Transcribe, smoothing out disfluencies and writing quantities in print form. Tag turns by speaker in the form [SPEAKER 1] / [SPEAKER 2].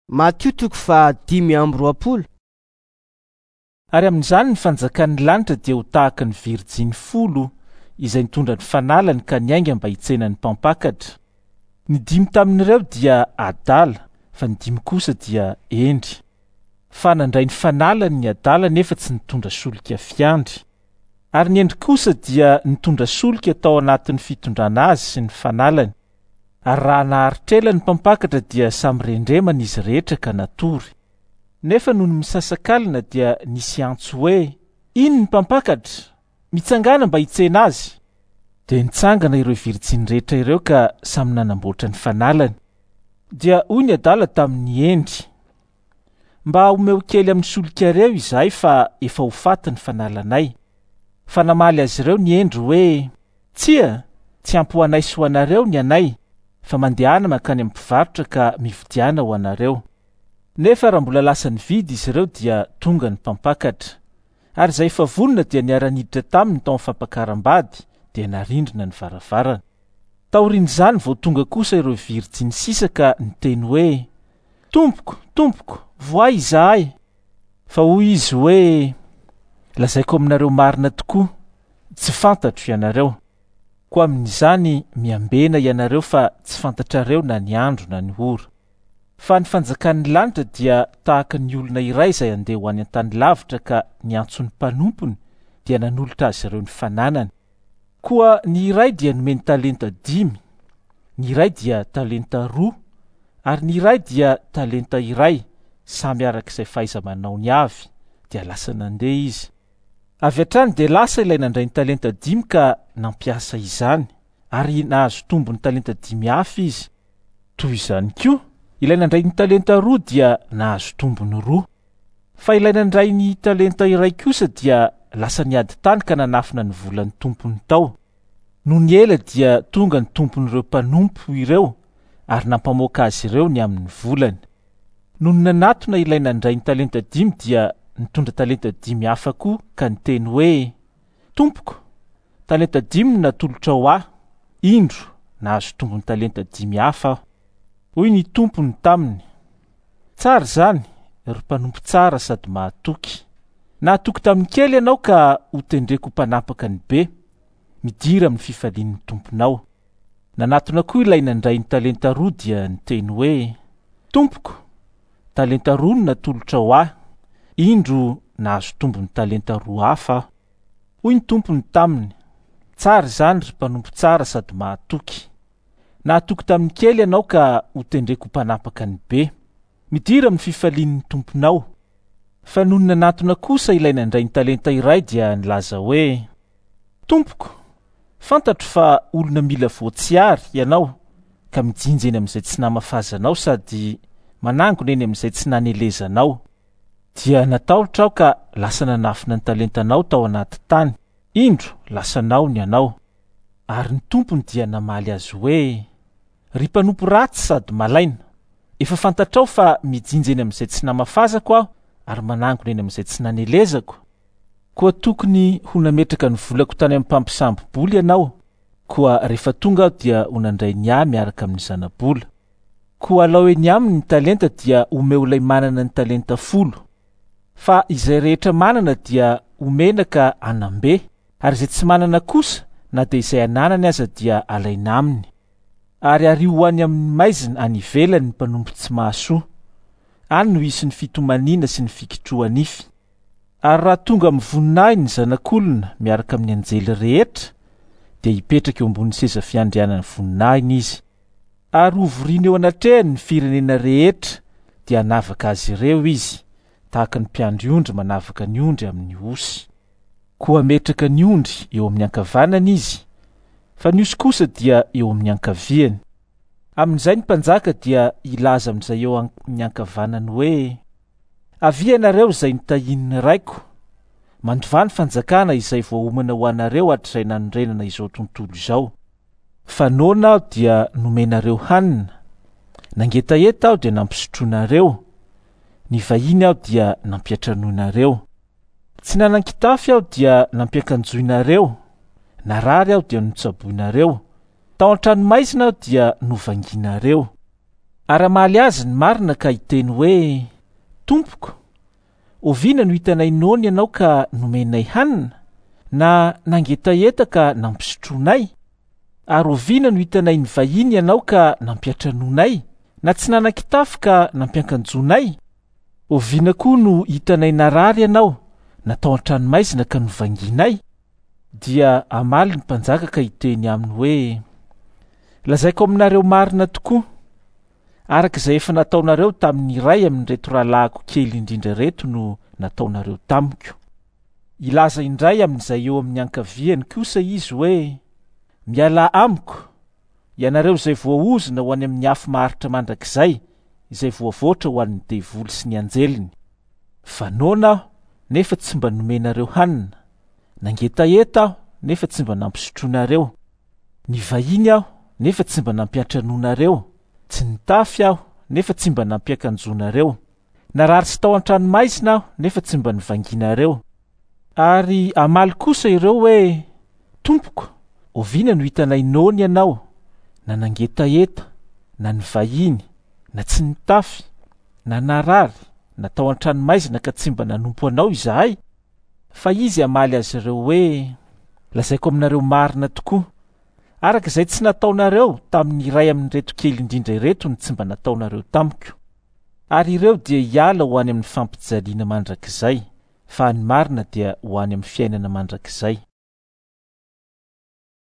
[SPEAKER 1] Matio toko faha 25.
[SPEAKER 2] Ary amin'izany ny fanjakan'ny lanitra dia ho tahaka ny virijiny folo izay nitondra ny fanalany ka niainga mba hitsena ny mpampakatra. Ny dimy tamin'ireo dia adala, fa ny dimy kosa dia hendry. Fa nandray ny fanalany ny adala nefa tsy nitondra solika fiandry. Ary ny hendry kosa dia nitondra solika tao anatin'ny fitondrana azy sy ny fanalany. Ary raha naharitra ela ny mpampakatra dia samy rendremana izy rehetra ka natory. Nefa nony misasakalina dia nisy antso hoe, Iny ny mpampakatra! Mitsangàna mba hitsena azy! Dia nitsangana ireo virjiny rehetra ireo ka samy nanamboatra ny fanalany. Dia hoy ny adala tamin'ny hendry, Mba omeo kely amin'ny solikareo izahay fa efa ho faty ny fanalanay. Fa namaly azy ireo ny hendry hoe, Tsia, tsy ampy ho anay sy ho anareo ny anay, fa mandehana mankany amin'ny mpivarotra ka mividiana ho anareo. Nefa raha mbola lasa nividy izy ireo dia tonga ny mpampakatra. Ary izay efa vonona dia niara-niditra taminy tao amin'ny fampakaram-bady, dia narindrina ny varavarana. Taorian'izany vao tonga kosa ireo virjiny sisa ka niteny hoe, Tompoko, tompoko, vohay izahay! Fa hoy izy hoe, Lazaiko aminareo marina tokoa, tsy fantatro ianareo. Koa amin'izany miambena ianareo fa tsy fantatrareo na ny andro na ny ora. Fa ny fanjakan'ny lanitra dia tahaka ny olona iray izay handeha ho any an-tany lavitra ka niantso ny mpanompony dia nanolotra azy ireo ny fananany. Koa ny iray dia nomeny talenta dimy, ny iray dia talenta roa, ary ny iray dia talenta iray, samy araka izay fahaiza-manaony avy, dia lasa nandeha izy. Avy hatrany dia lasa ilay nandray ny talenta dimy ka nampiasa izany, ary nahazo tombony talenta dimy hafa izy. Toy izany koa, ilay nandray ny talenta roa dia nahazo tombony roa. Fa ilay nandray ny talenta iray kosa dia lasa niady tany ka nanafina ny volan'ny tompony tao. Nony ela dia tonga ny tompon'ireo mpanompo ireo ary nampamoaka azy ireo ny amin'ny volany. Nony nanatona ilay nandray ny talenta dimy dia nitondra talenta dimy hafa koa ka niteny hoe, Tompoko, talenta dimy no natolotrao ahy, indro, nahazo tombony talenta dimy hafa aho. Hoy ny tompony taminy, Tsara izany, ry mpanompo tsara sady mahatoky. Nahatoky tamin'ny kely ianao ka hotendreko ho mpanapaka ny be. Midira amin'ny fifalian'ny tomponao. Nanatona koa ilay nandray ny talenta roa dia niteny hoe, Tompoko, talenta roa no natolotrao ahy, indro nahazo tombony talenta roa hafa aho. Hoy ny tompony taminy, Tsara izany, ry mpanompo tsara sady mahatoky. Nahatoky tamin'ny kely ianao ka hotendreko ho mpanapaka ny be. Midira amin'ny fifalian'ny tomponao. Fa nony nanatona kosa ilay nandray ny talenta iray dia nilaza hoe, Tompoko, fantatro fa olona mila voatsiary ianao ka mijinja eny amin'izay tsy namafazanao sady manangona eny amin'izay tsy nanelezanao. Dia natahotra aho ka lasa nanafina ny talentanao tao anaty tany. Indro, lasanao ny anao. Ary ny tompony dia namaly azy hoe, Ry mpanompo ratsy sady malaina, efa fantatrao fa mijinja eny amin'izay tsy namafazako aho ary manangona eny amin'izay tsy nanelezako. Koa tokony ho nametraka ny volako tany amin'ny mpampisambo-bola ianao, koa rehefa tonga aho dia ho nandray ny ahy miaraka amin'ny zana-bola. Koa alao eny aminy ny talenta dia omeo ilay manana ny talenta folo. Fa izay rehetra manana dia omena ka hanam-be, ary izay tsy manana kosa, na dia izay ananany aza dia alaina aminy. Ary ario ho any amin'ny maizina any ivelany ny mpanompo tsy mahasoa. Any no hisy ny fitomaniana sy ny fikitroha-nify. Ary raha tonga amin'ny voninahiny ny Zanak'olona miaraka amin'ny anjely rehetra, dia hipetraka eo ambonin'ny seza fiandrianan'ny voninahiny izy. Ary hovoriany eo anatrehany ny firenena rehetra, dia hanavaka azy ireo izy, tahaka ny mpiandry ondry manavaka ny ondry amin'ny osy. Koa hametraka ny ondry eo amin'ny ankavanany izy, fa ny osy kosa dia eo amin'ny ankaviany. Amin'izay ny mpanjaka dia hilaza amin'izay eo amin'ny ankavanany hoe, Avia ianareo izay notahian'ny Raiko, mandovà ny fanjakana izay voaomana ho anareo hatrizay nanorenana izao tontolo izao. Fa noana aho dia nomenareo hanina, nangetaheta aho dia nampisotroinareo, nivahiny aho dia nampiantranoinareo. Tsy nanan-kitafy aho dia nampiakanjoinareo, narary aho dia notsaboinareo, tao an-tranomaizina aho dia novangianareo. Ary hamaly azy ny marina ka hiteny hoe, Tompoko, oviana no hitanay noana ianao ka nomenay hanina, na nangetaheta ka nampisotroinay? Ary oviana no hitanay nivahiny ianao ka nampiantranoinay, na tsy nanan-kitafy ka nampiankanjoinay? Oviana koa no hitanay narary ianao, na tao an-tranomaizina ka novangianay? Dia hamaly ny mpanjaka ka hiteny aminy hoe, Lazaiko aminareo marina tokoa, araka izay efa nataonareo tamin'ny iray amin'ireto rahalahiko kely indrindra ireto no nataonareo tamiko. Hilaza indray amin'izay eo amin'ny ankaviany kosa izy hoe, Mialà amiko, ianareo izay voaozona ho any amin'ny afo maharitra mandrakizay, izay voavoatra ho an'ny devoly sy ny anjeliny. Fa noana aho, nefa tsy mba nomenareo hanina, nangetaheta aho, nefa tsy mba nampisotroinareo, nivahiny aho, nefa tsy mba nampiantranoinareo, tsy nitafy aho, nefa tsy mba nampiakanjoinareo, narary sy tao an-tranomaizina aho, nefa tsy mba nivangianareo. Ary hamaly kosa ireo hoe, Tompoko, oviana no hitanay noana ianao, na nangetaheta, na nivahiny, na tsy nitafy, na narary, na tao an-tranomaizina ka tsy mba nanompo anao izahay? Fa izy hamaly azy ireo hoe, Lazaiko aminareo marina tokoa, araka izay tsy nataonareo tamin'ny iray amin'ireto kely indrindra ireto no tsy mba nataonareo tamiko. Ary ireo dia hiala ho any amin'ny fampijaliana mandrakizay, fa ny marina dia ho any amin'ny fiainana mandrakizay.